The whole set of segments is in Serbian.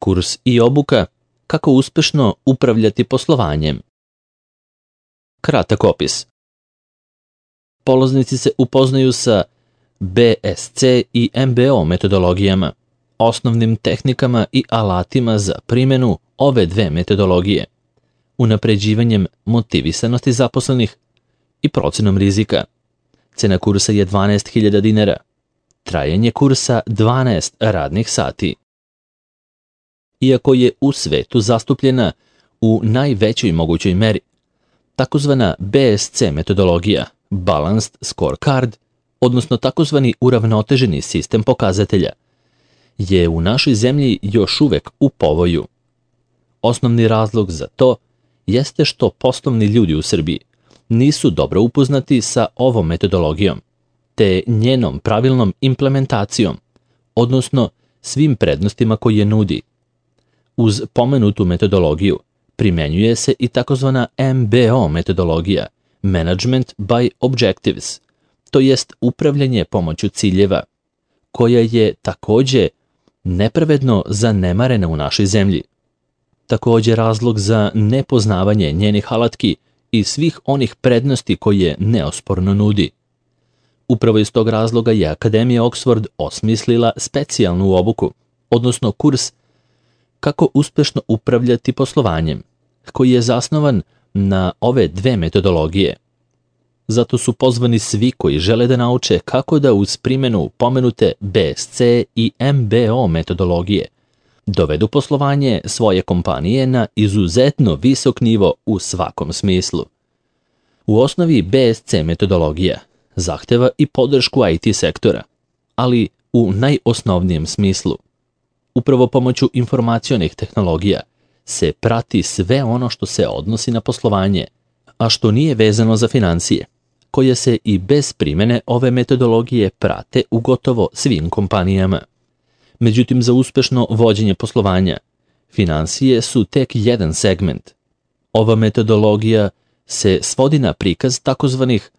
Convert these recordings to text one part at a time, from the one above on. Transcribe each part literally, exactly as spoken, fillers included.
Kurs i obuka kako uspešno upravljati poslovanjem. Kratak opis. Polaznici se upoznaju sa B S C i M B O metodologijama, osnovnim tehnikama i alatima za primjenu ove dve metodologije, unapređivanjem motivisanosti zaposlenih i procenom rizika. Cena kursa je dvanaest hiljada dinara. Trajanje kursa dvanaest radnih sati. Iako je u svetu zastupljena u najvećoj mogućoj meri, takozvana B S C metodologija, Balanced Scorecard, odnosno takozvani uravnoteženi sistem pokazatelja, je u našoj zemlji još uvek u povoju. Osnovni razlog za to jeste što poslovni ljudi u Srbiji nisu dobro upoznati sa ovom metodologijom, te njenom pravilnom implementacijom, odnosno svim prednostima koje nudi. Uz pomenutu metodologiju primenjuje se i takozvana M B O metodologija, Management by Objectives, to jest upravljanje pomoću ciljeva, koja je takođe nepravedno zanemarena u našoj zemlji. Takođe razlog za nepoznavanje njenih alatki i svih onih prednosti koje neosporno nudi. Upravo iz tog razloga je Akademija Oxford osmislila specijalnu obuku, odnosno kurs kako uspešno upravljati poslovanjem, koji je zasnovan na ove dve metodologije. Zato su pozvani svi koji žele da nauče kako da uz primjenu pomenute B S C i M B O metodologije dovedu poslovanje svoje kompanije na izuzetno visok nivo u svakom smislu. U osnovi B S C metodologija zahteva i podršku I T sektora, ali u najosnovnijem smislu. Upravo pomoću informacionih tehnologija se prati sve ono što se odnosi na poslovanje, a što nije vezano za financije, koje se i bez primjene ove metodologije prate u gotovo svim kompanijama. Međutim, za uspešno vođenje poslovanja, finansije su tek jedan segment. Ova metodologija se svodi na prikaz takozvanih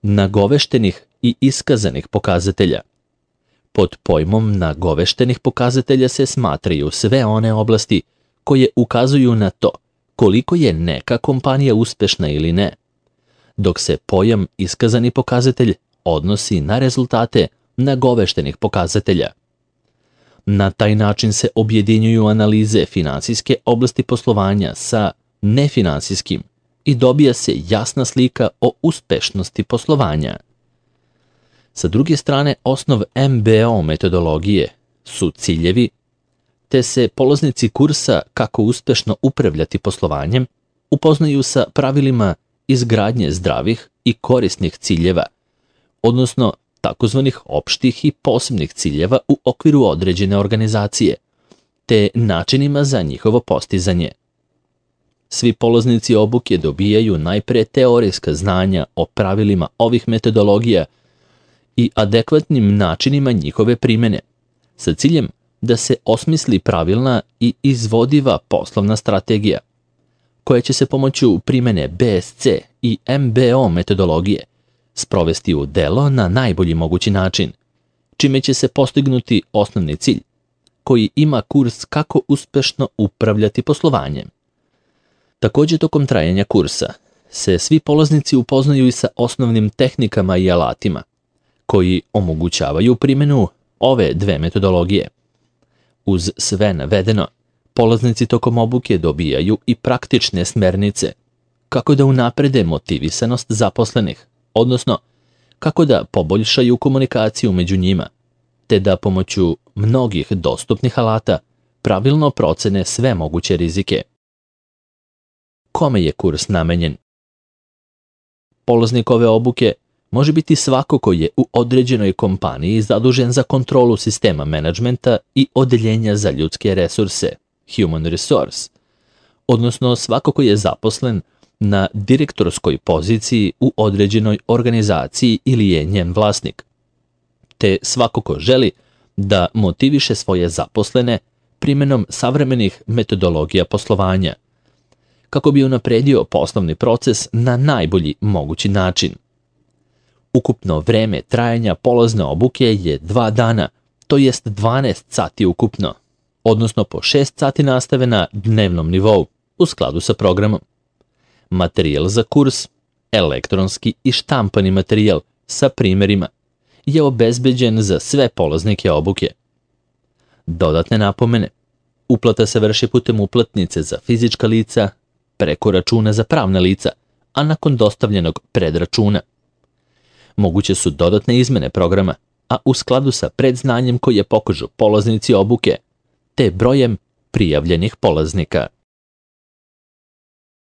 nagoveštenih i iskazanih pokazatelja. Pod pojmom nagoveštenih pokazatelja se smatraju sve one oblasti koje ukazuju na to koliko je neka kompanija uspešna ili ne, dok se pojam iskazani pokazatelj odnosi na rezultate nagoveštenih pokazatelja. Na taj način se objedinjuju analize finansijske oblasti poslovanja sa nefinansijskim i dobija se jasna slika o uspešnosti poslovanja. Sa druge strane, osnov M B O metodologije su ciljevi, te se polaznici kursa kako uspešno upravljati poslovanjem upoznaju sa pravilima izgradnje zdravih i korisnih ciljeva, odnosno takozvanih opštih i posebnih ciljeva u okviru određene organizacije, te načinima za njihovo postizanje. Svi polaznici obuke dobijaju najpre teorijska znanja o pravilima ovih metodologija i adekvatnim načinima njihove primjene, sa ciljem da se osmisli pravilna i izvodiva poslovna strategija, koja će se pomoću primjene B S C i M B O metodologije sprovesti u delo na najbolji mogući način, čime će se postignuti osnovni cilj, koji ima kurs kako uspešno upravljati poslovanjem. Takođe, tokom trajanja kursa se svi polaznici upoznaju i sa osnovnim tehnikama i alatima, koji omogućavaju primjenu ove dve metodologije. Uz sve navedeno, polaznici tokom obuke dobijaju i praktične smernice kako da unaprede motivisanost zaposlenih, odnosno kako da poboljšaju komunikaciju među njima, te da pomoću mnogih dostupnih alata pravilno procene sve moguće rizike. Kome je kurs namenjen? Polaznik ove obuke može biti svako ko je u određenoj kompaniji zadužen za kontrolu sistema menadžmenta i odeljenja za ljudske resurse, human resource, odnosno svako ko je zaposlen na direktorskoj poziciji u određenoj organizaciji ili je njen vlasnik, te svako ko želi da motiviše svoje zaposlene primjenom savremenih metodologija poslovanja, kako bi unapredio poslovni proces na najbolji mogući način. Ukupno vreme trajanja polazne obuke je dva dana, to jest dvanaest sati ukupno, odnosno po šest sati nastave na dnevnom nivou, u skladu sa programom. Materijal za kurs, elektronski i štampani materijal sa primjerima, je obezbeđen za sve polaznike obuke. Dodatne napomene. Uplata se vrši putem uplatnice za fizička lica, preko računa za pravna lica, a nakon dostavljenog predračuna. Moguće su dodatne izmene programa, a u skladu sa predznanjem koje pokažu polaznici obuke, te brojem prijavljenih polaznika.